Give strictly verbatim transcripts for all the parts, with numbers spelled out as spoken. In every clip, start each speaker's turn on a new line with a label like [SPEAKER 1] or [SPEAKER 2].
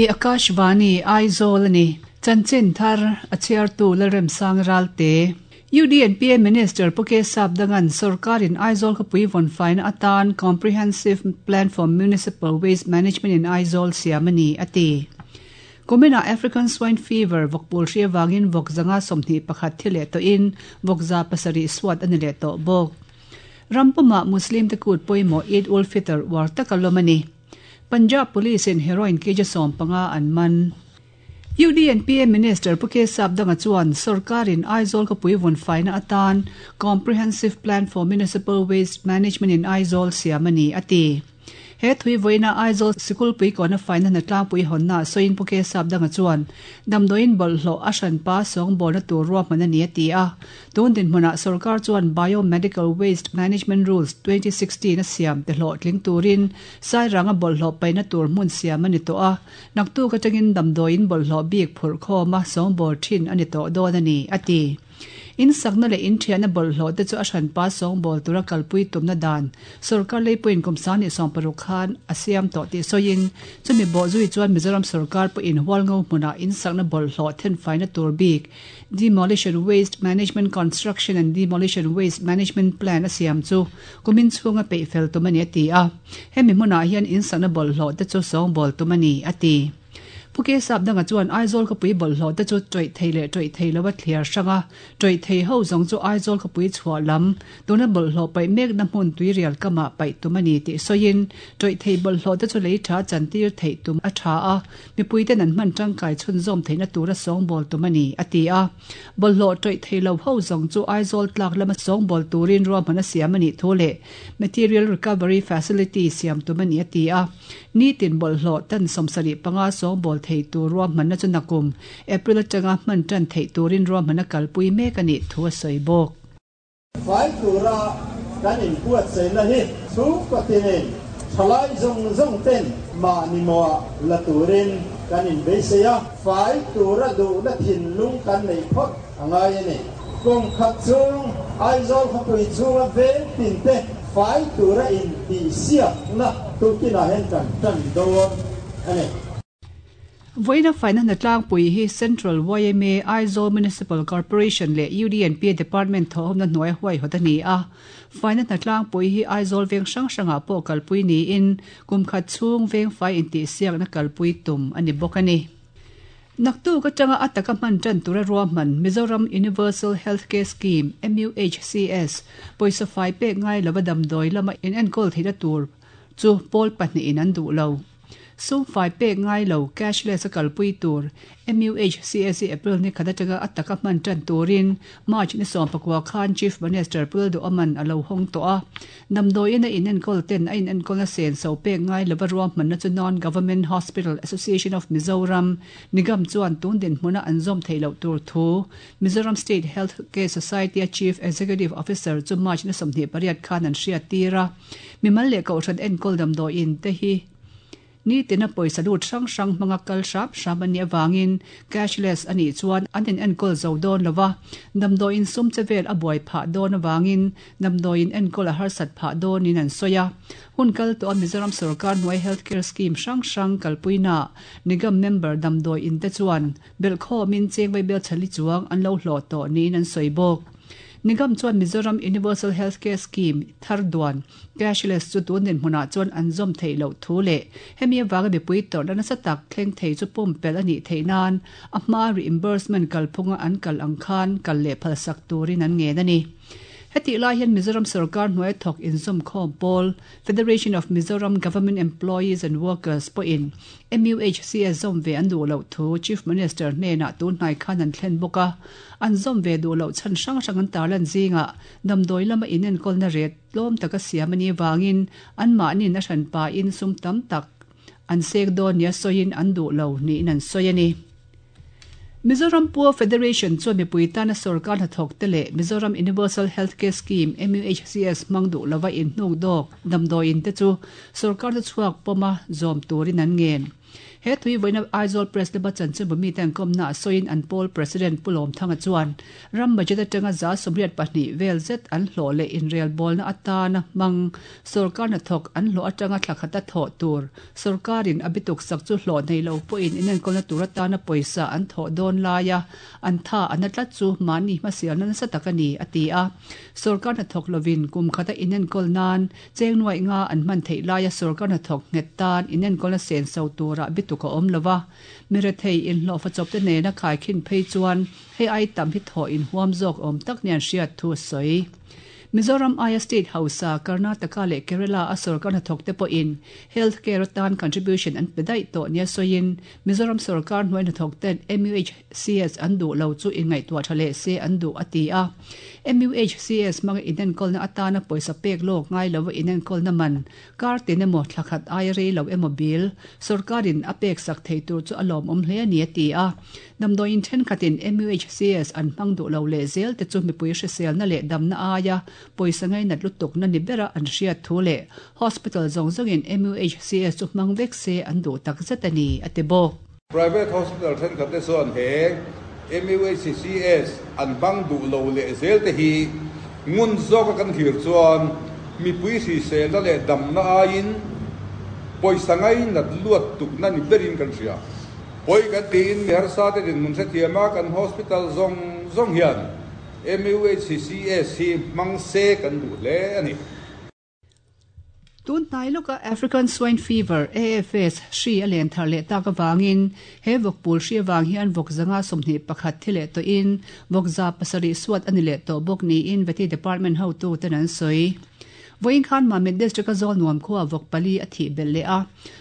[SPEAKER 1] Hei hi Akashvani Aizawl a ni. Chanchin thar a chhiartu Lalremsang Ralte. U D and P A Minister Pu K Sapdangan Sarkarin Aizawl khawpui vawn faina atan Comprehensive Plan for Municipal Waste Management in Aizawl siam a ni a ti. Kumina African Swine Fever vawkpul hri awangin vawk zanga sawmhnih pakhat thi leh tawhin vawk za pasarih suat a ni leh tawh bawk. Rampuma Muslim te kut pawimawh Eid ul Fitr war taka lawm a ni. Punjab Police in heroin kg sawm panga an man. U D and P A Minister Pu K Sapdanga chuan Sarkarin Aizawl khawpui vawn faina atan Comprehensive Plan for Municipal Waste Management in Aizawl siam a ni a ti. He thui vawiina Aizawl Sikulpui kawna faina hna tlangpui hawnna sawiin Pu K Sapdanga chuan damdawiin bawlhhlawh a hranpa sawngbawlna tur ruahman a ni a ti a. Tun dinhmunah Sarkar chuan Biomedical Waste Management Rules twenty sixteen a siam te hlawh tling turin sairanga bawlhhlawh paihna tur hmun siam a ni tawh a. Naktuk atangin damdawiin bawlhhlawh bik phurh khawma sawngbawl thin a ni tawh dawn a ni a ti. In sakna leh in thianna bawlhhlawh te chu a hranpa sawngbawl tura kalpui tumna dan Sarkar leipuiin kum sangni sawm paruk khan a siam tawh tih sawiin chumi bawh zui chuan Mizoram Sarkar pawhin hualngo hmunah in sakna bawlhhlawh then faina tur bik Demolition Waste Management Construction and Demolition Waste Management Plan a siam chu kumin chhunga peih fel tum a ni a ti a. Hemi hmunah hian in sakna bawlhhlawh te chu sawngbawl tum a ni a ti. Pu K Sapdanga chuan Aizawl khawpui bawlhhlawh te chu tawih thei leh tawih thei lova thliar hranga tawih thei ho zawng chu Aizawl khawpui chhuah lam tuna bawlhhlawh paih mekna hmun tuirial kamah paih tum a ni tih sawiin tawih thei bawlhhlawh te chu lei tha chantir theih tum a tha a mipui ten an hman tangkai chhunzawm theihna tura sawngbawl tum a ni a ti a. Bawlhhlawh tawih thei lo ho zawng chu Aizawl tlak lama sawngbawl turin ruahman a siam a nih thu leh Material Recovery Facility siam tum a ni a ti a. Ni tin bawlhhlawh tan sawmsarih panga sawngbawl thei tur ruahmanna chu nakum April atanga hman tan theih turin ruahmanna kalpui mek a nih thu a sawi bawk.
[SPEAKER 2] Fai tura kan inbuatsaihna hi chhungkawtinin thalai zawng zawng ten mahni mawh la turin kan inbeisei a. Fai tura duhna thinlung kan nei phawt a ngai a ni. Kum khat chhung Aizawl khawpui chhunga veng tin te fai tura intihsiakna tukinah hian kan tan dawn a ni.
[SPEAKER 1] Vawiina faina hna tlangpui hi Central Y M A Aizawl Municipal Corporation leh U D and P A Department thawhawmna hnuai huai hawt a ni a. Faina hna tlangpui hi Aizawl veng hrang hrangah pawh kalpui niin kum khat chhung veng fai intihsiakna kalpui tum a ni bawk a ni. Naktuk atanga a taka hman tan tura ruahman Mizoram Universal Healthcare Scheme M U H C S pawisa fai pek ngai lova damdawi lama in enkawl theihna tur chu pawl pahnih in an duh lo. Sum fai pek ngai lo cashless a kalpui tur M U H C S April ni khat atanga a taka hman tan turin March ni sawm pakua khan Chief Minister Pu Lalduhoman a lo hawng tawh a. Damdawiin a in enkawl ten a in enkawlna sen so pek ngai lova ruahmanna chu Non-Government Hospital Association of Mizoram Nigam chuan tun dinhmuna an zawm theih loh tur thu Mizoram State Health Care Society a Chief Executive Officer chu March ni sawmhnih pariat khan an hriat tir a. Mimal leh kohhran enkawl damdawiin te hi ni tina pawisa lut hrang hrang hmanga kal hrap hrap a nih awangin cashless a nih chuan an in enkawl zo dawn lova damdawiin sum che vel a buai phah dawn awangin damdawiin enkawl a harsat phah dawnin an sawi a. Hun kal tawh a Mizoram Sarkar hnuai Healthcare Scheme hrang hrang kalpuina Nigam member damdawiin te chuan belhkhawmin chengvai bel chali chuang an lo hlawh tawh niin an sawi bawk. Nigam chuan Mizoram Universal Healthcare Scheme thar duan cashless chu tun dinhmunah chuan an zawm theih loh thu leh hemi awanga mipui tawrhna nasa tak thleng thei chu pumpelh a nih theih nan a hma reimbursement kalphunga an kal ang khan kal leh phalsak turin an ngen a ni. Heti lai hian Mizoram Sarkar hnuai thawk inzawm khawm pawl Federation of Mizoram Government Employees and Workers pawhin M U H C S zawm ve an duh loh thu Chief Minister hnenah tun hnai khan an thlen bawk a. An zawm ve duh loh chhan hrang hrang an tarlan zingah damdawi lama in enkawlna ret tlawm taka siam a ni awangin an mahnin a hranpa in sum tam tak an sek dawn nia sawiin an duh lo niin an sawi a ni. Mizoram Poor Federation chuan mipui tana Sarkar hnathawk te leh Mizoram Universal Healthcare Scheme M U H C S hmang duh lova in hnuk dawk damdawiin te chu Sarkar te chhuak pawma zawm turin an ngen. He tui voina Aizawl Press Club chanchinbu mi ten komna soin an poll president Pulom Thanga chuan ram budget atanga za sawmriat pahnih vel zet an hlawh leh inrel bawlna atana hmang sorkar hnathawk an hlawh atanga thlakhata thawh tur sorkarin a bituk sak chu hlawh nei lo pawhin inenkawlna tur atana pawisa an thawh dawn laia an tha an tlat chu mahni hmasialna nasa tak a ni a ti a. Sorkar hnathawk lovin kum khata inenkawl nan cheng nuai nga an hman theih laia sorkar hnathawk nghet tan inenkawlna sen so tura bituk a awm lova mirethei inhlawh fa chawp te nena khaikhin phei chuan hei ai tam hi thaw in huam zawk awm tak nian hriat thu sawi. Mizoram aia State House Karnataka leh Kerala a sorkar hnathawk te pawhin health care atan contribution an pe daih tawh nia sawiin Mizoram sorkar hnuai hnathawk ten M U H C S an duh lo chu inngaihtuah tha leh se an duh a ti a. M U H C S hmanga inenkawlna atana pawisa pek lawk ngai lova inenkawlna man kar tin emaw thlakhat aia rei lo emaw bil sorkarin a pek sak thei tur chu a lawm awm hle a ni a ti a. Damdawiin thenkhatin M U H C S an hmang duh lo leh zel te chu mipui hriselna leh damna aia pawisa ngainat lutuk na ni bera an hriat thu leh hospital zawng zawngin M U H C S chu hmang vek se an duh tak zet a ni a ti bawk.
[SPEAKER 3] Private hospital thenkhat te chuan he M U H C S an hmang duh lo leh zel te hi ngun zawka kan thlir chuan mipui hriselna leh damna aiin pawisa ngainat luat tukna ni berin kan hria. Pawih kan tiin mi harsa te dinhmun hrethiama kan hospital zawng zawng hian M U H C S hi hmang se kan duh hle a ni.
[SPEAKER 1] Tun hnai lawka African Swine Fever A F S hri a len thar leh tak awangin he vawkpul hri awang hian vawk zanga sawmhnih pakhat thi leh tawhin vawk za pasarih suat ani leh tawh bawk niin Vety Department hotu ten an sawi. Voin khan Mamit District a zawl nuam khuwa vawk pali a thih belh leh a.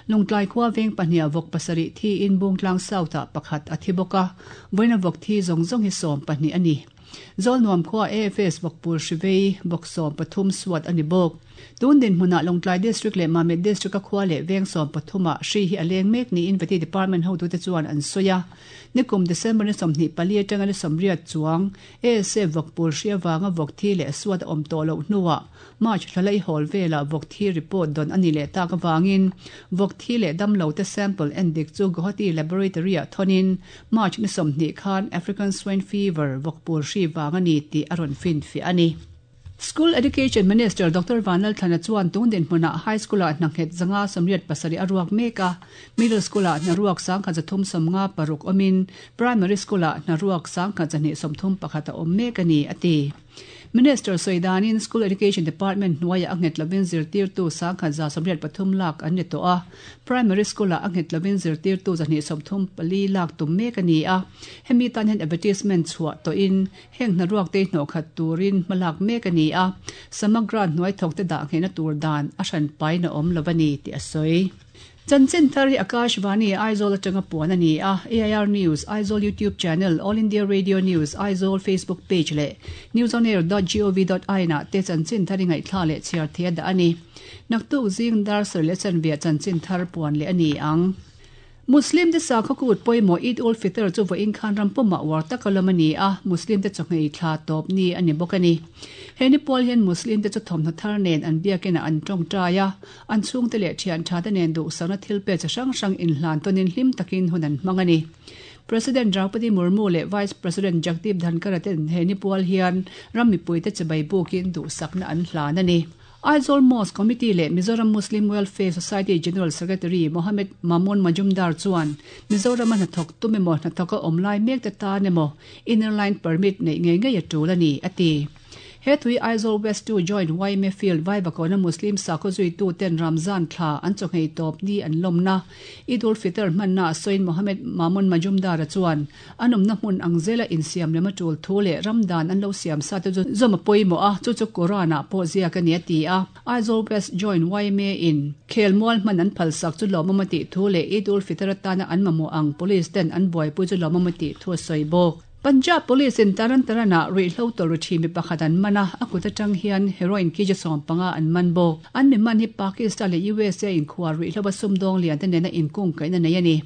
[SPEAKER 1] Lungtlai khuwa veng pahnih vawk pasarih thi in Bungtlang South ah pakhat a thi bawk a. Voina vawk thi zawng zawng hi sawm pahnih a ni. Zawl nuam khuwa A F S vawkpul hrivei vawk sawm pathum suat a ni bawk. Tun din hmuna Lungtlai District leh Mamit District a khuwa leh veng sawm pathuma hri hi a leng mek niin Vety Department hotu te chuan an sawi a. Nikum December ni sawmhnih pali atanga ni sawmriat chuang A S F vawkpul hri awanga vawk thi leh suat a awm tawh loh hnuah March thlalai hawl vela vawk thi report don ani leh tak awangin vawk thi leh damlo te sample endik chu Guwahati Laboratory ah thonin March ni sawmhnih khan African Swine Fever vawkpul hri wang ani tih a rawn fin fi ani. School Education Minister Doctor Vanlal Thlana chuan tun din hmuna high school ah hnanghet zanga sawmriat pasarih a ruak mek a. Middle school ah hnaruak sangkhat zathum sawmnga paruk awmin primary school ah hnaruak sangkhat zahnih sawmthum pakhat a awm mek a ni a ti. Minister Soidanin School Education Department hnuaia a nghet lovin zirtirtu sangkhat za sawmriat pathum lak an ni tawh a. Primary school ah a nghet lovin zirtirtu zahnih sawmthum pali lak tum mek a ni a. Hemi tan hian advertisement chhuah tawhin heng hnaruak te hnawh khat turin hmalak mek a ni a. Samagra hnuai thawk te dah nghehna tur dan a hran paina awm lo a ni tih a sawi. Chanchin thar hi Akashvani Aizawl atanga puan a ni a. A I R News, Aizawl YouTube channel, All India Radio News, Aizawl Facebook page leh newsonair dot gov dot in ah te chanchin thar hi ngaihthla leh chhiar thei a dah a ni. Naktuk zing dar sar leh chanvia chanchin thar puan leh a ni ang. Muslim te sakhaw kut pawimawh Eid ul Fitr chu vawiin khan ram pawmah uar tak a lawm a ni a. Muslim te chawhmeh thla tawp ni a ni bawk a ni. He ni pawl hian Muslim te chu thawmhnaw thar nen an biakin ah an tawngtai a. An chhung te leh thian tha te nen duh sakna thil pe chi hrang hrang inhlan tawnin hlim takin hun an hmang a ni. President Draupadi Murmu leh Vice President Jagdeep Dhankhar ten he ni pawl hian ram mipui te chibai bukin duh sakna an hlan a ni. Aizawl Mosque Committee leh Mizoram Muslim Welfare Society General Secretary Mohammed Mamun Majumdar chuan Mizoram a hnathawk tum emaw hnathawk a awm lai mek te tan emaw inner line permit nei ngei ngei a tul a ni a ti. He thui Aizawl West two Joint Y M A Field Vaivakona Muslim sakhaw zuitu ten Ramzan thla an chawhmeh tawp ni an lawmna Eid ul Fitr hmanna sawiin Mohammed Mamun Majumdar a chuan an awmna hmun ang zela insiam lema tul thu leh ramdan an lo siam sa te chu zawm a pawimawh a chu chu Quran ah pawh ziak a ni a ti a. Aizawl West Joint Y M A in khelmual hman an phalsak chu lawmawm a tih thu leh Eid ul Fitr atana an mamawh ang police ten an buaipui chu lawmawm a tih thu a sawi bawk. Punjab Police in Taran Tarana ruihhlo tawlh thi mi pakhat an man a, a kut atang hian heroin kg sawm panga an man bawk. An mi man hi Pakistan leh U S A inkhuar ruihhlo a sumdawng lian te nena inkung kaihna nei a ni.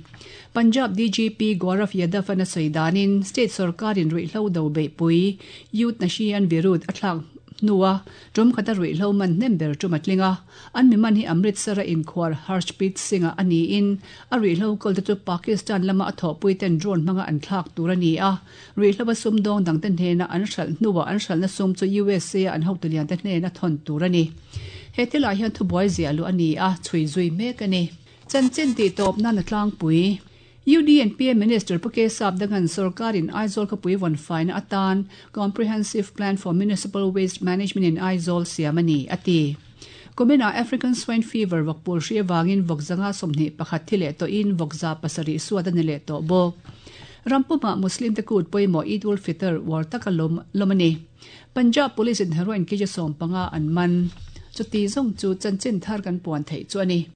[SPEAKER 1] Punjab D G P Gaurav Yadav an a sawi danin state sarkarin ruihhlo do beihpui Youth Nashian Virudh a thlak hnuah tum khata ruihhlo man hnem ber tum a tling a. An mi man hi Amritsar-a inkhuar Harshpreet Singh-a a niin a ruihhlo kawl te chu Pakistan lama a thawhpui ten drone hmanga an thlak tur a ni a. Ruihhlo a sumdawng dang te hnena an hralh hnuah an hralhna sum chu U S A an hotu lian te hnena thawn tur a ni. He thilah hian thubuai ziah luh a ni a, chhui zui mek a ni. Chanchin tih tawp nan a tlangpui. U D N P Minister Pu K Sapdangan sorkarin Aizawl khawpui vawn faina atan Comprehensive Plan for Municipal Waste Management in Aizawl siam a ni, a ti. Kuminah African Swine Fever vawkpul hri avangin vawk zanga sawmhnih pakhat thi leh tawhin vawk za pasarih suat a ni leh tawh bawk. Rampumah Muslim te kut pawimawh Eid ul Fitr uar taka lawm lawm a ni. Punjab Police in heroin kg sawm panga an man. Chuti zawng chu chanchin thar kan puan theih chu a ni.